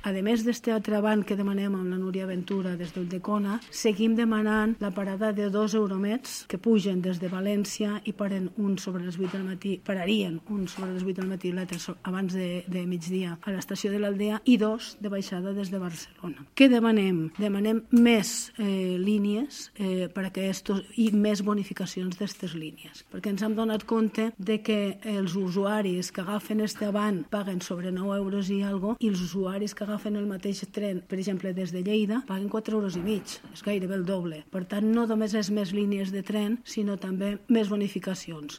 A més d'este altre avant que demanem amb la Núria Ventura des d'Ulldecona, seguim demanant la parada de 2 Euromets que pugen des de València i pararien un sobre les 8 del matí i l'altre abans de migdia a l'estació de l'Aldea i 2 de baixada des de Barcelona. Què demanem? Demanem més línies i més bonificacions d'aquestes línies, perquè ens hem donat compte de que els usuaris que agafen este avant paguen sobre 9 euros i algo i els usuaris que agafen el mateix tren, per exemple, des de Lleida, paguen 4 euros i mig, és gairebé el doble. Per tant, no només és més línies de tren, sinó també més bonificacions.